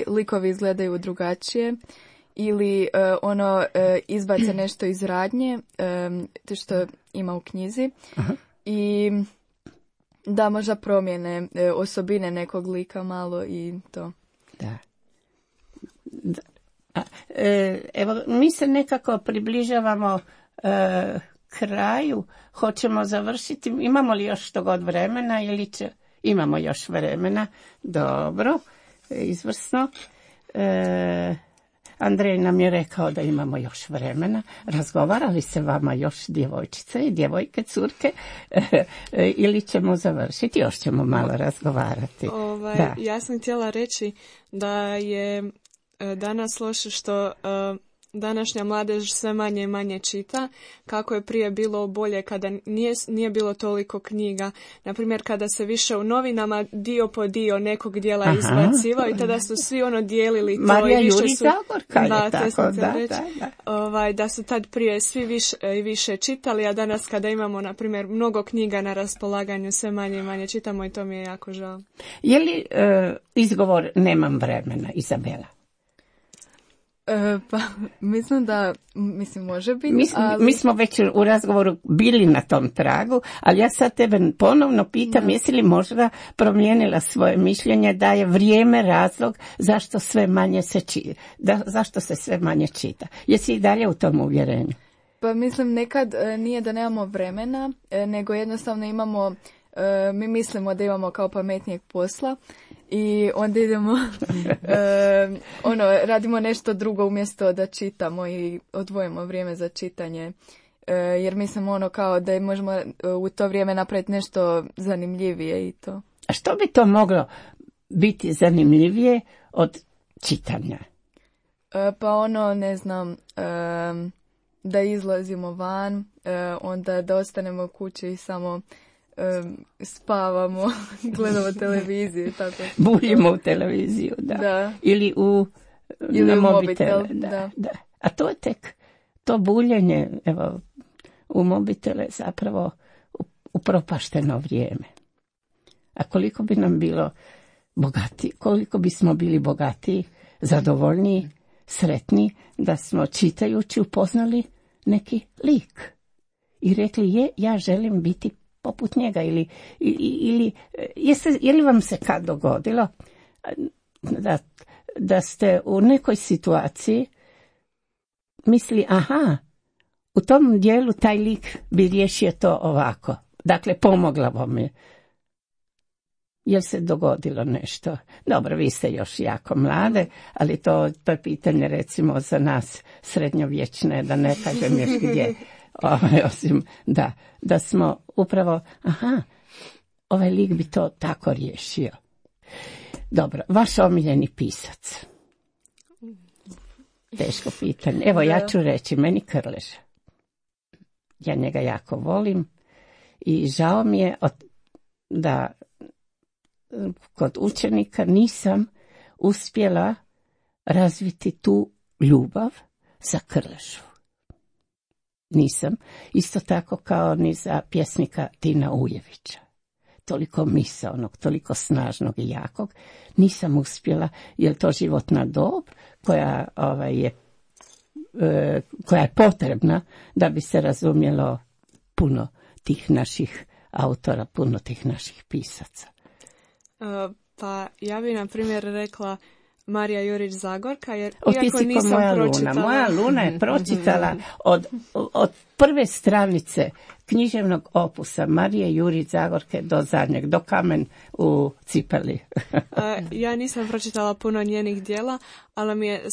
likovi izgledaju drugačije, ili izbace nešto iz radnje, to što ima u knjizi. Aha. I da možda promijene osobine nekog lika malo i to. Da. Evo, mi se nekako približavamo kraju hoćemo završiti. Imamo li još što god vremena ili imamo još vremena? Dobro, izvrsno. Andrej nam je rekao da imamo još vremena. Razgovarali se vama još djevojčice i djevojke, curke, ili ćemo završiti? Još ćemo malo razgovarati. Ja sam htjela reći da je danas loše što današnja mladež sve manje i manje čita, kako je prije bilo bolje kada nije bilo toliko knjiga. Naprimjer, kada se više u novinama dio po dio nekog dijela izbacivao i tada su svi dijelili to. Marija i više Jurić Zagorka je tako, da su tad prije svi više i više čitali, a danas kada imamo, na primjer, mnogo knjiga na raspolaganju, sve manje i manje čitamo i to mi je jako žao. Je li izgovor nemam vremena, Izabela? Pa, mislim može biti. Mi smo već u razgovoru bili na tom tragu, ali ja sad tebe ponovno pitam, jesi li možda promijenila svoje mišljenje da je vrijeme razlog zašto sve manje zašto se sve manje čita? Jesi i dalje u tom uvjerenju? Pa mislim, nekad nije da nemamo vremena, nego jednostavno imamo, mi mislimo da imamo kao pametnijeg posla i onda idemo, radimo nešto drugo umjesto da čitamo i odvojimo vrijeme za čitanje. Jer mislim kao da možemo u to vrijeme napraviti nešto zanimljivije i to. A što bi to moglo biti zanimljivije od čitanja? Pa ne znam, da izlazimo van, onda da ostanemo u kući i samo spavamo, gledamo televiziju. Tako. Buljimo u televiziju, da. Ili na mobitel. Da. A to je tek, to buljenje u mobitele zapravo upropašteno vrijeme. A koliko bi nam bilo bogati, koliko bismo bili bogatiji, zadovoljniji, sretni da smo čitajući upoznali neki lik i rekli ja želim biti poput njega ili je li vam se kad dogodilo da ste u nekoj situaciji mislili u tom dijelu taj lik bi riješio to ovako, dakle pomogla vam je. Jel se dogodilo nešto? Dobro, vi ste još jako mlade, ali to je pitanje recimo za nas srednjovječne, da ne kažem još gdje, osim da smo upravo, ovaj lik bi to tako riješio. Dobro, vaš omiljeni pisac? Teško pitanje. Evo, ja ću reći, meni Krlež. Ja njega jako volim i žao mi je da kod učenika nisam uspjela razviti tu ljubav za Krležu. Nisam. Isto tako kao ni za pjesnika Tina Ujevića. Toliko misaonog, toliko snažnog i jakog nisam uspjela, jer to životna dob koja je potrebna da bi se razumjelo puno tih naših autora, puno tih naših pisaca. Pa ja bi na primjer rekla Marija Jurić Zagorka, jer iako nisam pročitala. Moja Luna je pročitala od prve stranice književnog opusa Marije Jurić Zagorke do zadnjeg, do Kamen u cipeli. Ja nisam pročitala puno njenih djela, ali mi je,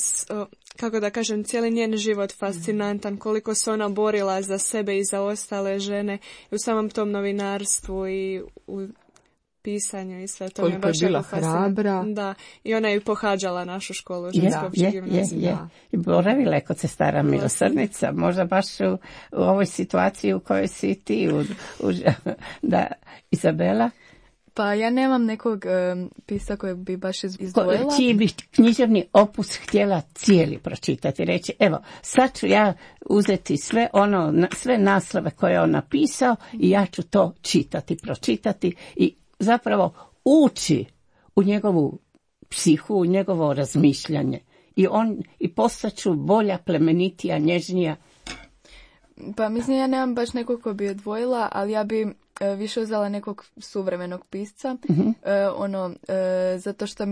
kako da kažem, cijeli njen život fascinantan, koliko se ona borila za sebe i za ostale žene i u samom tom novinarstvu i u pisanju i sve to. Koliko je bila hrabra. Da, i ona je pohađala našu školu ženske opće gimnazije. I boravila je kod sestara Milosrdnica, možda baš u ovoj situaciji u kojoj si ti. Da, Izabela? Pa ja nemam nekog pisa kojeg bi baš izdvojila. Čiji bi književni opus htjela cijeli pročitati, reći, evo, sad ću ja uzeti sve naslove koje je on napisao i ja ću to pročitati i zapravo ući u njegovu psihu, u njegovo razmišljanje. I postaću bolja, plemenitija, nježnija. Pa mislim, ja nemam baš nekog ko bi odvojila, ali ja bi više uzela nekog suvremenog pisca, zato što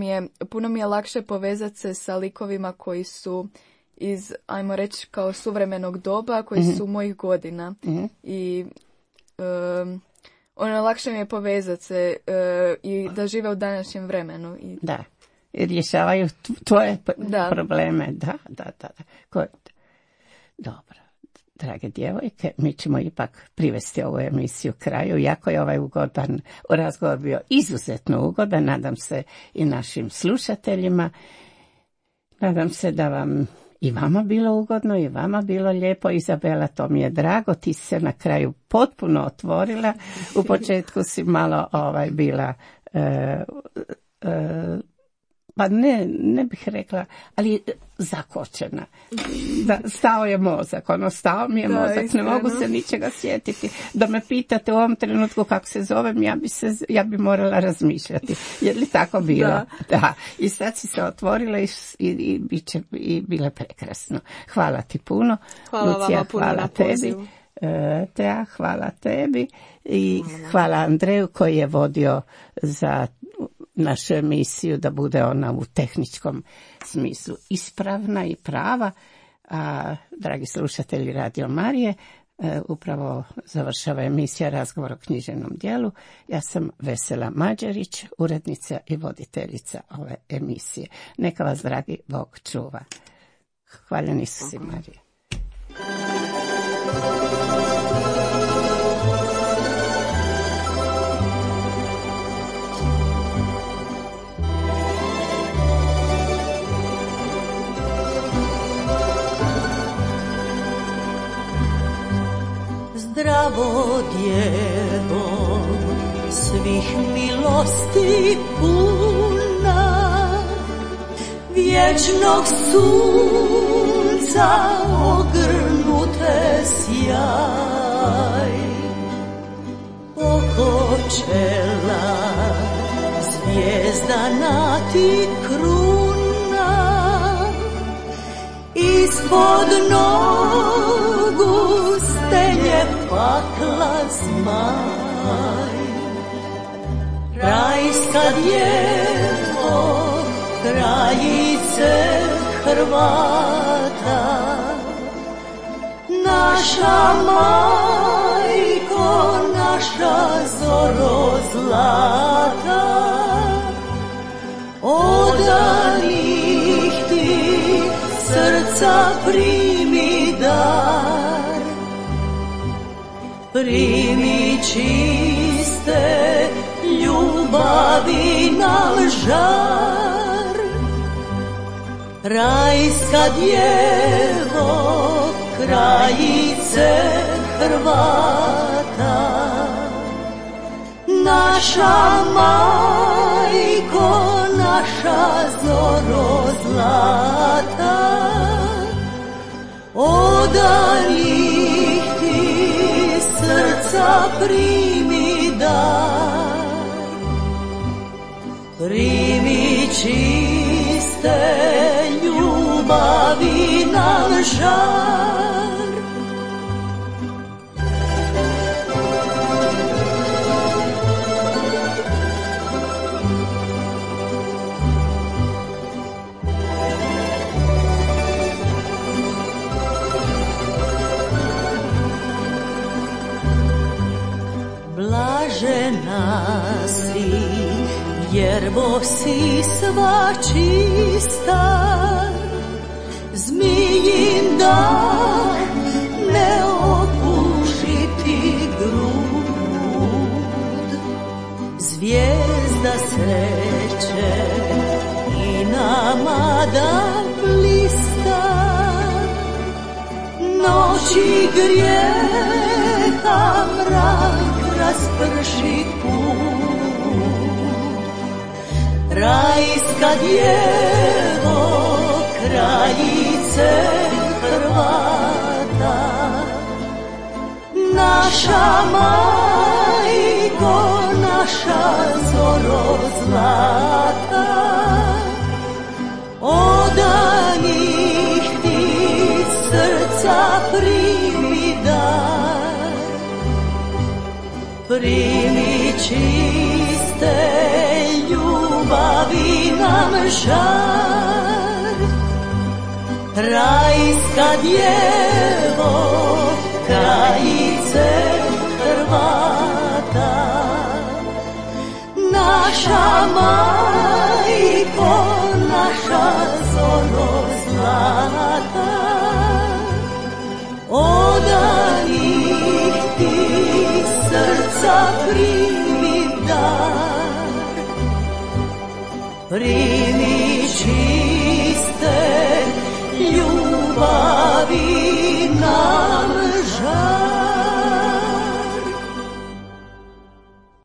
puno mi je lakše povezati se sa likovima koji su iz, ajmo reći, kao suvremenog doba koji su mojih godina. I lakše mi je povezati se i da žive u današnjem vremenu. Da, i rješavaju tvoje probleme. Da. Dobro, drage djevojke, mi ćemo ipak privesti ovu emisiju kraju, iako je ovaj razgovor bio izuzetno ugodan, nadam se i našim slušateljima. Nadam se da vam i vama bilo ugodno, i vama bilo lijepo. Izabela, to mi je drago, ti se na kraju potpuno otvorila. U početku si malo bila pa ne bih rekla, ali zakočena. Stao je mozak, stao mi je mozak, iskreno. Ne mogu se ničega sjetiti. Da me pitate u ovom trenutku kako se zovem, ja bi morala razmišljati. Je li tako bilo? Da. I sad si se otvorila i bilo je prekrasno. Hvala ti puno. Hvala Lucija, vama puno na pozivu. Tea, hvala tebi i hvala Andreju koji je vodio za našu emisiju da bude ona u tehničkom smislu ispravna i prava. A, dragi slušatelji Radio Marije, upravo završava emisija Razgovor o književnom djelu. Ja sam Vesela Mađerić, urednica i voditeljica ove emisije. Neka vas, dragi Bog, čuva. Hvaljeni su si, Marije. Zdravo djevo, svih milosti puna, vječnog sunca ogrnute sjaj, oko čela zvijezdana ti kruna, ispod nogu stenje pakla zmaj. Rajska djevo, kraljice Hrvata, naša majko, naša zoro zlata, odanih ti srca primi dar, primi čiste ljubavi nam žar. Rajska djevo, kraljice Hrvata, naša majko, naša zoro zlata, odanih ti srca primi dar, primi čiste ljubavi nam žar. Blažena si, jerbo si sva čista, zmijin dah ne opuši ti grud. Zvijezda sreće i nama da blista, noći grijeha mrak rasprši put. Rajska djevo, kraljice Hrvata, naša majko, naša zoro zlata, odanih ti srca primi dar, primi čiste ljubavi nam žar. rajska djevo, krajice Hrvata. Naša majko, naša zoro zlata, odanih ti srca primi dar, primi čiste ljubavi